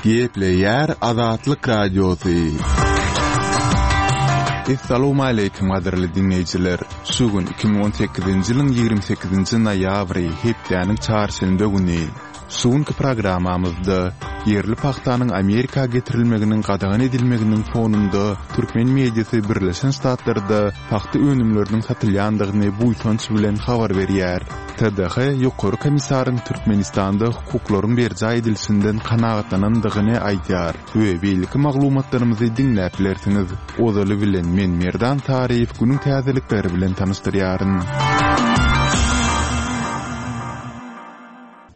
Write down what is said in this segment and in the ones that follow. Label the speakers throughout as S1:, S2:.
S1: Gepleýär Azatlyk Radiosy.
S2: Essalawmaleýkim gadyrly diňleýjiler! Şu gün 2018-nji ýylyň 28-nji noýabry, hepdäniň çarşenbe güni. Şu günki programmamyzda ýerli pagtanyň Amerika getirilmeginiň gadagan edilmeginiň fonunda türkmen mediasy Birleşen Ştatlarda pagta önümleriniň satylýandygyny buýsanç bilen habar berýär. TDH Ýokary komissaryň Türkmenistanda hukuklaryň berjaý edilişinden kanagatlanandygyny aýdýar we beýleki maglumatlarymyzy diňläp bilersiňiz. Ozaly bilen men Merdan Saryýew günüň täzelikleri bilen tanyşdyrýaryn.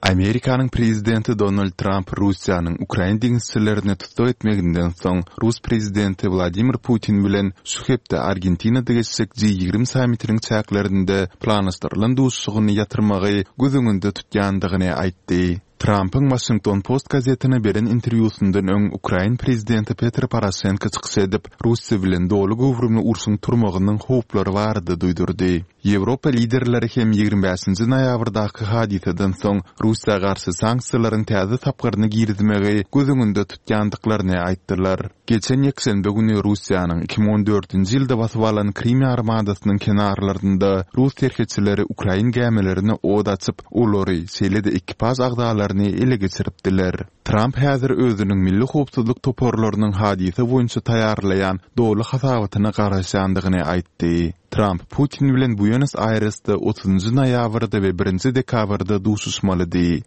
S2: Amerikanyň prezidenti Donald Tramp Russiýanyň ukrain deňizçilerini tussag etmeginden soň, rus prezidenti Wladimir Putin bilen şu hepde Argentinada geçjek G 20 sammitiniň çäklerinde planlaşdyrylan duşuşygyny ýatyrmagy göz öňünde tutýandygyny aýtdy. Trampyň Washington Post gazetine beren interwýusyndan öň ukrain prezidenti Petro Poroşenko çykyş edip, Russiýa bilen doly göwrümli urşuň turmagynyň howplary barada duýdurdy. Ýewropa liderleri hem 25-nji noýabrdaky hadysadan soň Russiýa garşy sanksiýalaryň täze tapgyryny girizmegi göz öňünde tutýandyklaryny aýtdylar. Geçen ýekşenbe güni Russiýanyň 2014-nji ýylda basyp alan Krym ýarymadasynyň kenarlarynda rus serhetçileri ukrain gämilerine ot açyp, olary, şeýle-de ekipaž agzalaryny ele geçiripdiler. Tramp häzir özüniň milli howpsuzlyk toparlarynyň hadysa boýunça taýýarlaýan doly hasabatyna garaşýandygyny aýtdy. Tramp Putin bilen Buenos-Aýresde otuzynjy noýabrda we birinji dekabrda duşuşmalydy.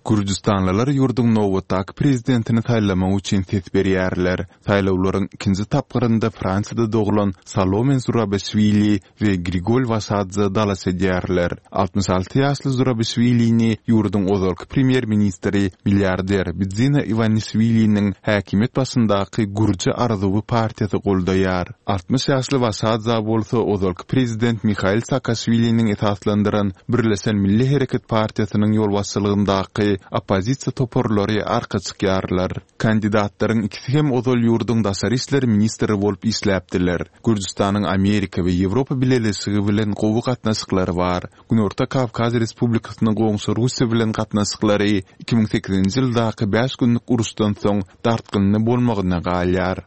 S2: Gürjüstanlylar ýurduň nobatdaky prezidentini saýlamak üçin ses berýärler. Saýlawlaryň ikinji tapgyrynda Fransiýada doglan Salome Zurabişwili we Grigol Waşadze dalaş edýärler. 66 ýaşly Zurabişwilini ýurduň ozalky premýer-ministri, milliarder Bidzina Iwanişwiliniň häkimiýet başyndaky Gürji arzuwy partiýasy goldaýar. 60 ýaşly Waşadza bolsa ozalky prezident Mihail Saakaşwiliniň esaslandyran Birleşen Milli Hereket partiýasynyň ýolbaşçylygyndaky oppozisiýa toparlary arka çykýarlar. Kandidatlaryň ikisi hem ozal ýurduň daşary işler ministri bolup işläpdiler. Gürjüstanyň Amerika we Ýewropa Bileleşigi bilen gowy gatnaşyklary bar. Günorta Kawkaz Respublikasynyň goňşy Russiýa bilen gatnaşyklary 2008-nji ýyldaky bäş günlük uruşdan soň dartgynly bolmagyna galýar.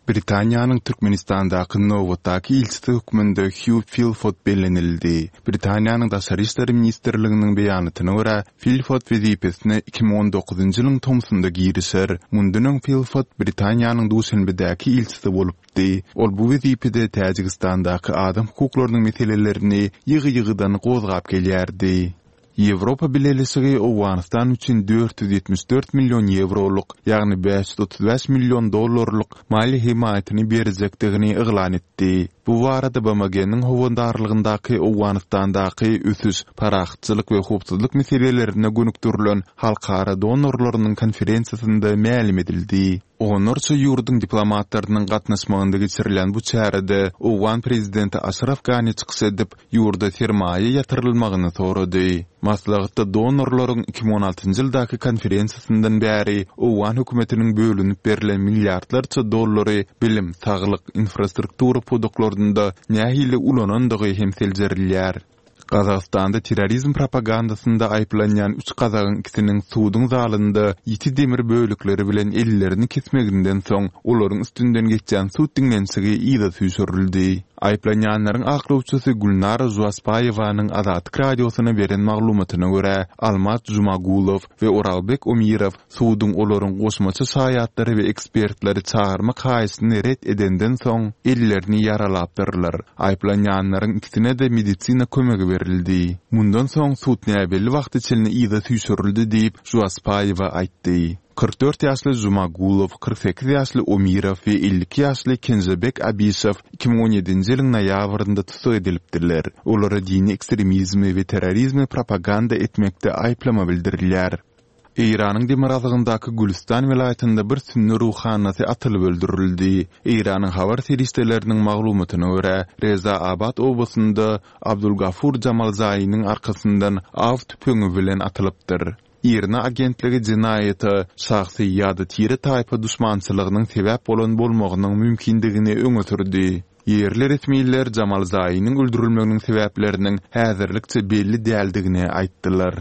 S2: Britaniýanyň Türkmenistandaky nobatdaky ilçisi hökmünde Hýu Filfot bellenildi. Britaniýanyň Daşary işler ministrliginiň beýanatyna görä, Filfot wezipesine 2019-njy ýylyň tomsunda girişer. Mundan öň Filfot Britaniýanyň Duşenbedäki ilçisi bolupdy. Ol bu wezipede Täjigistandaky adam hukuklarynyň meselelerini ýygy-ýygydan gozgap gelýärdi. Ýewropa Bileleşigi Owganystan üçin 474 million ýewrolyk, ýagny 535 million dollarlyk maliýe hemaýatyny berjekdigini yglan etdi. Bu barada BMG-niň howandarlygyndaky Owganystandaky ösüş, parahatçylyk we howpsuzlyk meselelerine gönükdirilen halkara donorlarynyň konferensiýasynda mälim edildi. Onlarça ýurduň diplomatlarynyň gatnaşmagynda geçirilýän bu çärede owgan prezidenti Aşraf Gani çykyş edip, ýurda sermaýa ýatyrylmagyny sorady. Maslahatda donorlaryň 2016-njy ýyldaky konferensiýasyndan bäri owgan hökümetiniň bölünip berlen milliardlarça dollary bilim, saglyk, infrastruktura pudaklarynda nähili ulanandygy hem seljerilýär. Gazagystanda terrorizm propagandasynda aýyplanýan üç gazagyň ikisiniň suduň zalynda ýiti demir bölekleri bilen ellerini kesmeginden soň, olaryň üstünden geçýän sud diňlenişigi yza süýşürildi. Aýyplanýanlaryň aklawçysy Gülnara Žuaspaýewanyň Azatlyk Radiosyna beren maglumatyna görä, Almat Žumagulow we Oralbek Omirow Suduň olaryň goşmaça şaýatlary we ekspertleri çagyrmak haýyşyny ret edenden soň, ellerini ýaralapdyrlar. Aýyplanýanlaryň ikisine-de medisina kömegi berildi. Mundan soň sud näbelli wagta çenli yza süýşürildi diýip, Žuaspaýewa aýtdy. 44 ýaşly Žumagulow, 48 ýaşly Omirow we 52 ýaşly Kenžebek Abişew 2017-nji ýylyň noýabrynda tussag edilipdiler. Olara dini ekstremizmi we terrorizmi propaganda etmekde aýyplama bildirilýär. Eýranyň demirgazygyndaky Gülüstan welaýatynda bir sünni ruhanysy atylyp öldürildi. Eýranyň habar serişdeleriniň maglumatyna görä, Reza Abad obasynda Abdulgafur Jamalzaýynyň arkasyndan aw tüpeňi bilen atylypdyr. IRNA agentligi jenaýata şahsy ýa-da tire-taýpa duşmançylygynyň sebäp bolan bolmagynyň mümkindigini öňe sürdi. Ýerli resmiler Jamalzaýynyň öldürilmeginiň sebäpleriniň häzirlikçe belli däldigini aýtdylar.